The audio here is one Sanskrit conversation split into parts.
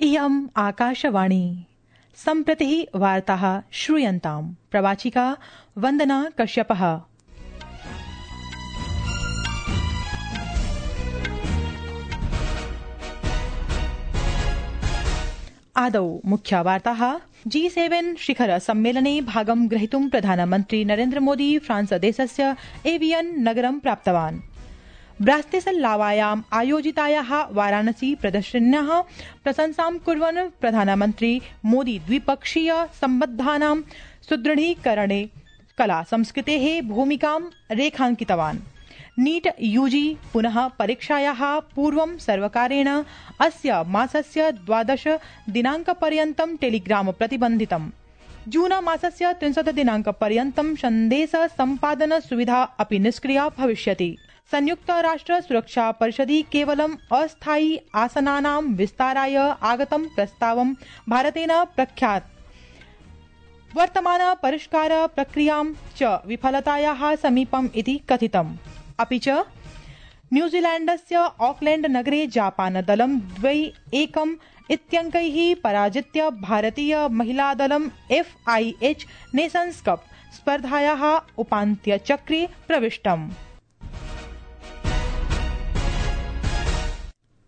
इयम् आकाशवाणी सम्प्रति वार्ताः श्रूयन्ताम् प्रवाचिका वन्दना कश्यपः। आदौ मुख्या वार्ताः। G7 शिखर सम्मेलने भागं ग्रहीतुं प्रधानमन्त्री नरेन्द्र मोदी फ्रांस देशस्य एवियन नगरं प्राप्तवान्। ब्रातिस्लावायाम् आयोजितायाः वाराणसी प्रदर्शन्याः प्रशंसां कुर्वन् प्रधानमन्त्री मोदी द्विपक्षीय सम्बन्धानां सुदृढीकरणे कला संस्कृतेः भूमिकां रेखाङ्कितवान्। नीट यूजी पुनः परीक्षायाः पूर्वं सर्वकारेण अस्य मासस्य 12 दिनाङ्कपर्यन्तं टेलीग्राम प्रतिबन्धितम्। जून मासस्य 30 दिनाङ्कपर्यन्तं सन्देश सम्पादन सुविधा अपि निष्क्रिया भविष्यति। संयुक्त राष्ट्र सुरक्षा परिषदि केवलम् अस्थायी आसनानां विस्ताराय आगतं प्रस्तावं भारतेन प्रख्यात्। वर्तमान परिष्कार प्रक्रियां च विफलतायाः समीपम् इति कथितम्। अपि च न्यूजीलैण्डस्य ऑकलैण्ड नगरे जापान दलं 2-1 इत्यङ्कैः पराजित्य भारतीय महिलादलं FIH नेशन्स् कप स्पर्धायाः उपान्त्यचक्रे प्रविष्टम्।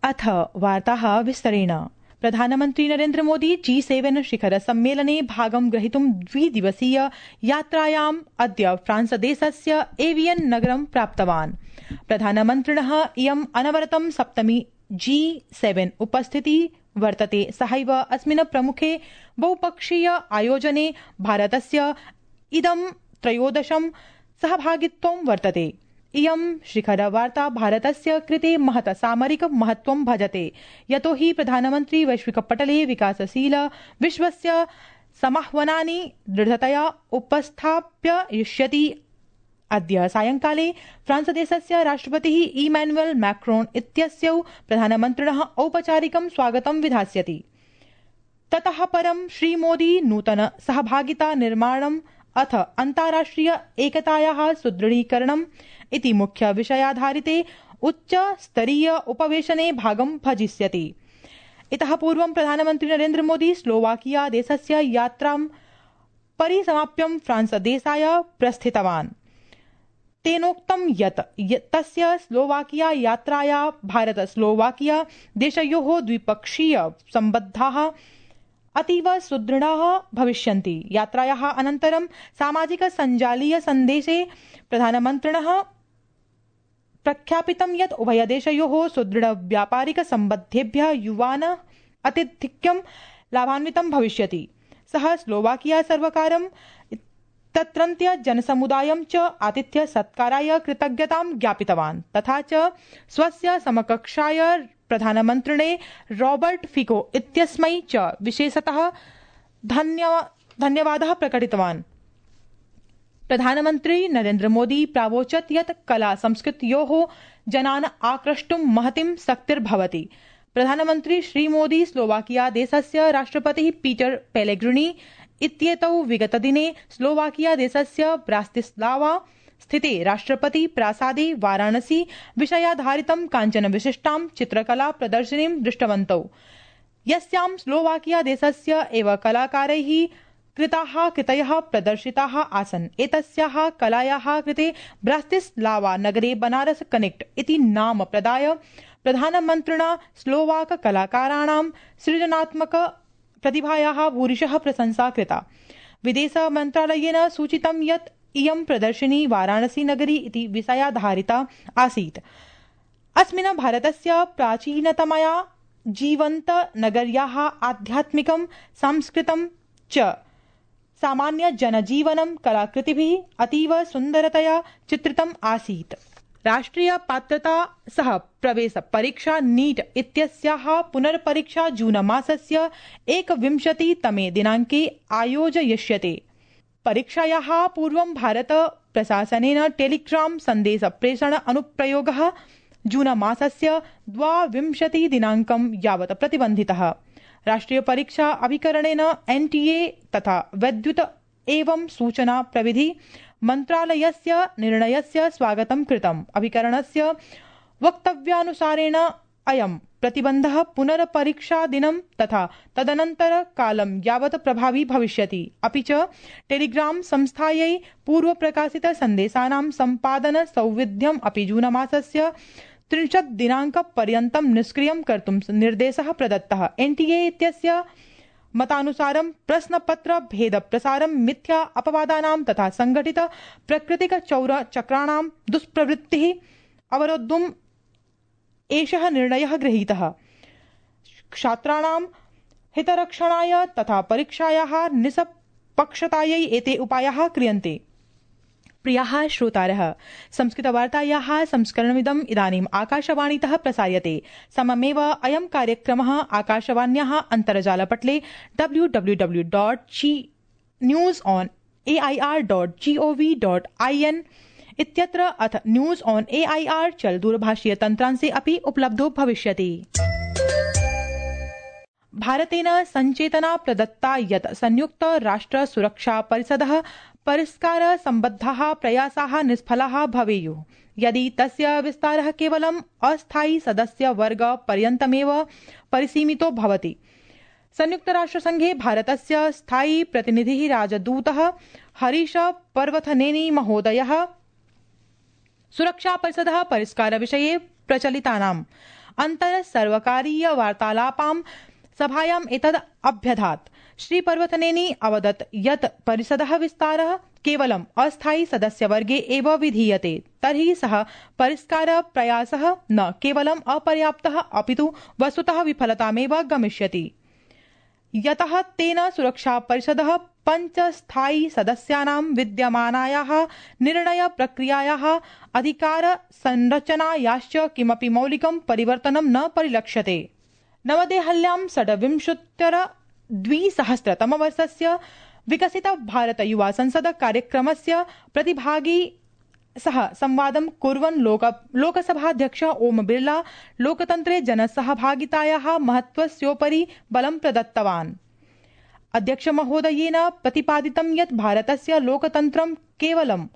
अथ वार्ताः विस्तरेण। प्रधानमन्त्री नरेन्द्र मोदी G7 शिखर सम्मेलने भागं ग्रहीतुं द्विदिवसीय यात्रायाम् अद्य फ्रांस देशस्य एवियन नगरं प्राप्तवान्। प्रधानमन्त्रिणः इयम् अनवरतं सप्तमी G7 उपस्थितिः वर्तते। सहैव अस्मिन् प्रमुखे बहुपक्षीय आयोजने भारतस्य इदं 13 सहभागित्वं वर्तते। इयं शिखरवार्ता भारतस्य कृते महत् सामरिक महत्वं भजते, यतो हि प्रधानमन्त्री वैश्विकपटले विकासशील विश्वस्य समाह्वानानि दृढतया उपस्थापयिष्यति। अद्य सायंकाले फ्रांस देशस्य राष्ट्रपतिः इमैनुअल मैक्रोन इत्यस्यौ प्रधानमन्त्रिणः औपचारिकं स्वागतं विधास्यति। ततः परं श्रीमोदी नूतन सहभागिता निर्माणम् अथ अन्ताराष्ट्रिय एकतायाः सुदृढीकरणम् इति मुख्य विषयाधारिते उच्च स्तरीय उपवेशने भागं भजिष्यति। इतः पूर्वं प्रधानमन्त्री नरेन्द्र मोदी स्लोवाकिया देशस्य यात्रां परिसमाप्य फ्रांस देशाय प्रस्थितवान्। तेनोक्तं यत् तस्य स्लोवाकिया यात्राया भारत स्लोवाकिया देशयोः द्विपक्षीय सम्बन्धाः अतीव सुदृढाः भविष्यन्ति। यात्रायाः अनन्तरं सामाजिक सञ्जालीय सन्देशे प्रधानमन्त्रिणः प्रख्यापितं यत् उभयदेशयोः सुदृढ व्यापारिक सम्बन्धेभ्यः युवान् अत्यधिकं लाभान्वितं भविष्यति। सः स्लोवाकिया सर्वकारं तत्रत्य जनसमुदायं च आतिथ्य सत्काराय कृतज्ञतां ज्ञापितवान्। तथा च स्वस्य समकक्षाय प्रधानमन्त्रिणे रॉबर्ट फिको इत्यस्मै च विशेषतः धन्यवादः प्रकटितवान्। प्रधानमन्त्री नरेन्द्र मोदी प्रावोचत् यत् कला संस्कृत्योः जनान् आक्रष्टुं महतीं शक्तिर्भवति। प्रधानमन्त्री श्रीमोदी स्लोवाकिया देशस्य राष्ट्रपतिः पीटर पेलेग्रिनी इत्येतौ विगतदिने स्लोवाकिया देशस्य ब्रातिस्लावा स्थिते राष्ट्रपति प्रासादे वाराणसी विषयाधारितं काञ्चन विशिष्टां चित्रकला प्रदर्शनीं दृष्टवन्तौ, यस्यां स्लोवाकिया देशस्य एव कलाकारैः कृतयः प्रदर्शिताः आसन्। एतस्याः कलायाः कृते ब्रातिस्लावा नगरे बनारस कनेक्ट इति नाम प्रदाय प्रधानमन्त्रिणा स्लोवाक कलाकाराणां सृजनात्मक प्रतिभायाः भूरिशः प्रशंसा कृता। विदेश मन्त्रालयेन सूचितं यत् इयं प्रदर्शनी वाराणसी नगरी इति विषयाधारिता आसीत्। अस्मिन् भारतस्य प्राचीनतमया जीवन्त नगर्याः आध्यात्मिकं सांस्कृतिकं च सामान्य जनजीवनं कलाकृतिभिः अतीव सुन्दरतया चित्रितम् आसीत्। राष्ट्रिय पात्रता सह प्रवेश परीक्षा नीट इत्यस्याः पुनर्परीक्षा जून मासस्य 21 दिनाङ्के आयोजयिष्यते। परीक्षायाः पूर्वं भारत प्रशासनेन टेलीग्राम सन्देश प्रेषण अनुप्रयोगः जून मासस्य 22 दिनाङ्कं यावत् प्रतिबन्धितः। राष्ट्रिय परीक्षा अभिकरणेन NTA तथा वैद्युत एवं सूचना प्रविधि मन्त्रालयस्य निर्णयस्य स्वागतं कृतम्। अभिकरणस्य वक्तव्यानुसारेण अयं प्रतिबन्धः पुनर्परीक्षादिनं तथा तदनन्तर कालं यावत् प्रभावी भविष्यति। अपि च टेलीग्राम संस्थायै पूर्वप्रकाशित सन्देशानां सम्पादन सौविध्यम् अपि जूनमासस्य 30 दिनाङ्कपर्यन्तं निष्क्रियं कर्तुं निर्देशः प्रदत्तः। एनटीए इत्यस्य मतानुसारं प्रश्नपत्र भेद प्रसारं मिथ्या अपवादानां तथा संगठित प्राकृतिक चौरचक्राणां दुष्प्रवृत्तिः अवरोद्धुम् एषः निर्णयः गृहीतः। छात्राणां हितरक्षणाय तथा परीक्षायाः निष्पक्षतायै एते उपायाः क्रियन्ते। प्रियाः श्रोतारः, संस्कृतवार्तायाः संस्करणमिदम् इदानीम् आकाशवाणीतः प्रसार्यते। सममेव अयं कार्यक्रमः आकाशवाण्याः अन्तर्जालपटले www.newsonair.gov.in इत्यत्र अथ न्यूज ऑन एआईआर चल दूरभाषीय तन्त्रांशे अपि उपलब्धो भविष्यति। भारतेन संचेतना प्रदत्ता यत् संयुक्त राष्ट्र सुरक्षा परिषदः परिष्कार सम्बद्धाः प्रयासाः निष्फलाः भवेयुः यदि तस्य विस्तारः केवलम् अस्थायी सदस्यवर्ग पर्यन्तमेव परिसीमितो भवति। संयुक्तराष्ट्रसंघे भारतस्य स्थायी प्रतिनिधिः राजदूतः हरीश पर्वथनेनी महोदयः सुरक्षा परिषदः परिष्कारविषये प्रचलितानाम् अन्तर्सर्वकारीय वार्तालापां सभायाम् एतद् अभ्यधात्। श्री पर्वतनेनी अवदत् यत् परिषदः विस्तारः केवलम् अस्थायी सदस्यवर्गे एव विधीयते तर्हि सः परिष्कार प्रयासः न केवलम् अपर्याप्तः अपितु वस्तुतः विफलतामेव गमिष्यति। यतः तेन सुरक्षा परिषदः 5 स्थायी सदस्यानां विद्यमानायाः निर्णय प्रक्रियायाः अधिकार संरचनायाश्च किमपि मौलिकं परिवर्तनं न परिलक्ष्यते। नवदेहल्यां 2020 विकसित भारत युवा संसद कार्यक्रमस्य प्रतिभागी सह संवादं कुर्वन् लोकसभाध्यक्ष ओम बिर्ला लोकतन्त्रे जनसहभागितायाः महत्त्वस्योपरि बलं प्रदत्तवान्। अध्यक्ष महोदयेन प्रतिपादितं यत् भारतस्य लोकतन्त्रं केवलं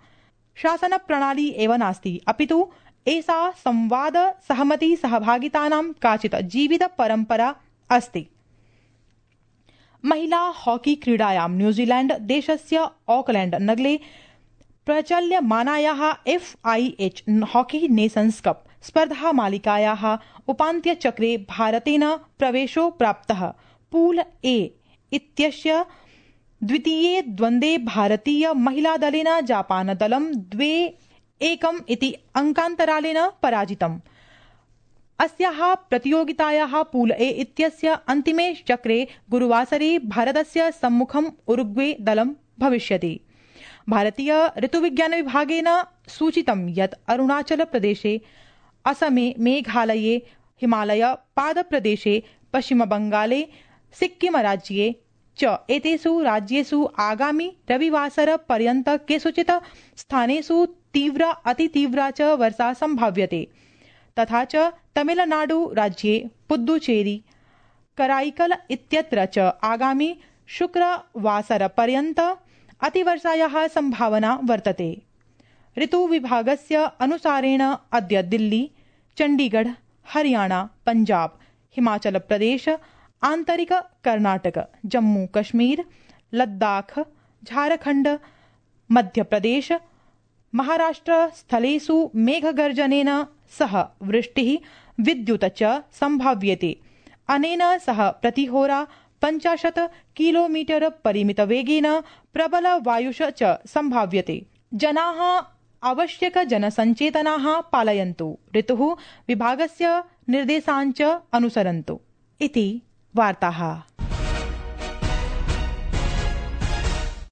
शासनप्रणाली एव नास्ति अपितु एषा संवाद सहमति सहभागितानां काचित् जीवित परम्परा अस्ति। महिला हॉकी क्रीडायां न्यूजीलैंड देशस्य ऑकलैंड नगरे प्रचल्यमानायाः FIH हॉकी नेशन्स कप स्पर्धा मालिकायाः उपान्त्यचक्रे भारतेन प्रवेशो प्राप्तः। पूल ए इत्यस्य द्वितीये द्वन्द्वे भारतीय महिलादलेन जापानदलं 2-1 इति अंकान्तरालेन पराजितम्। अस्याः प्रतियोगितायाः पूल ए इत्यस्य अन्तिमे चक्रे गुरुवासरे भारतस्य सम्मुखम् उरुग्वे दलं भविष्यति। भारतीय ऋतुविज्ञान विभागेन सूचितं यत् अरुणाचल प्रदेशे, असमे, मेघालये, हिमालय पादप्रदेशे, पश्चिमबंगाले, सिक्किम राज्ये च एतेषु राज्येषु आगामि रविवासर पर्यन्त केषुचित् स्थानेषु तीव्र अतितीव्रा च वर्षा संभाव्यते। तथा च तमिलनाडु राज्ये पुद्दुचेरी, कराईकल इत्यत्र च आगामि शुक्रवासर पर्यन्त अतिवर्षायाः संभावना वर्तते। ऋतुविभागस्य अनुसारेण अद्य दिल्ली, चण्डीगढ़, हरियाणा, पंजाब, हिमाचल प्रदेश, आन्तरिक कर्णाटक, जम्मू कश्मीर, लद्दाख, झारखंड, मध्यप्रदेश, महाराष्ट्र स्थलेषु मेघगर्जनेन सह वृष्टिः, विद्युत च संभाव्यते। अनेन सह प्रतिहोरा 50 किलोमीटर परिमितवेगेन प्रबल वायुष च संभाव्यते। जनाः आवश्यक जनसञ्चेतनाः पालयन्तु, ऋतुः विभागस्य निर्देशान् च अनुसरन्तु। इति वार्ताः।